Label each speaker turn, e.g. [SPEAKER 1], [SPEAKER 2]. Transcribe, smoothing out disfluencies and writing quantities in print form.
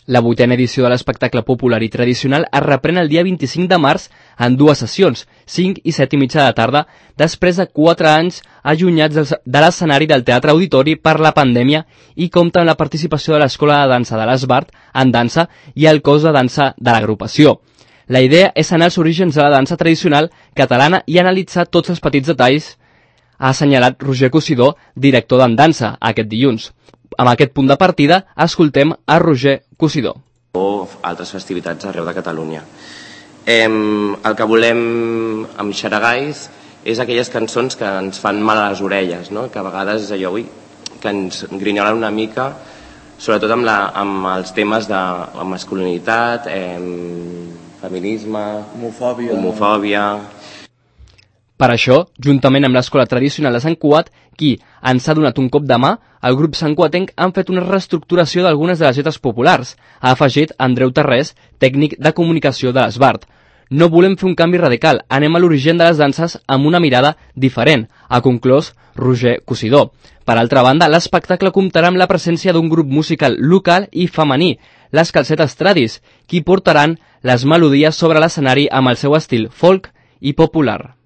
[SPEAKER 1] La 8a edició de l'espectacle popular i tradicional es reprèn el dia 25 de març en 2 sessions, 5 i 7:30 de tarda, després de 4 anys allunyats de l'escenari del Teatre Auditori per la pandèmia i compta amb la participació de l'Escola de Dansa de l'Esbart en dansa i el cos de dansa de l'agrupació. La idea és anar als orígens de la dansa tradicional catalana i analitzar tots els petits detalls, ha assenyalat Roger Cosidó, director d'en dansa, aquest dilluns. Amb aquest punt de partida, escoltem a Roger Cosidó.
[SPEAKER 2] O altres festivitats arreu de Catalunya. El que volem amb Xaragais és aquelles cançons que ens fan mal a les orelles, no? Que a vegades és allò, que ens grinyolen una mica, sobretot amb els temes de masculinitat, feminisme, homofòbia.
[SPEAKER 1] Per això, juntament amb l'Escola Tradicional de Sant Cugat, qui ens ha donat un cop de mà, el grup santcuatenc han fet una reestructuració d'algunes de les lletres populars, ha afegit Andreu Tarrés, tècnic de comunicació de l'Esbart. No volem fer un canvi radical, anem a l'origen de les danses amb una mirada diferent, ha conclòs Roger Cosidó. Per altra banda, l'espectacle comptarà amb la presència d'un grup musical local i femení, les Calcetes Tradis, qui portaran les melodies sobre l'escenari amb el seu estil folk i popular.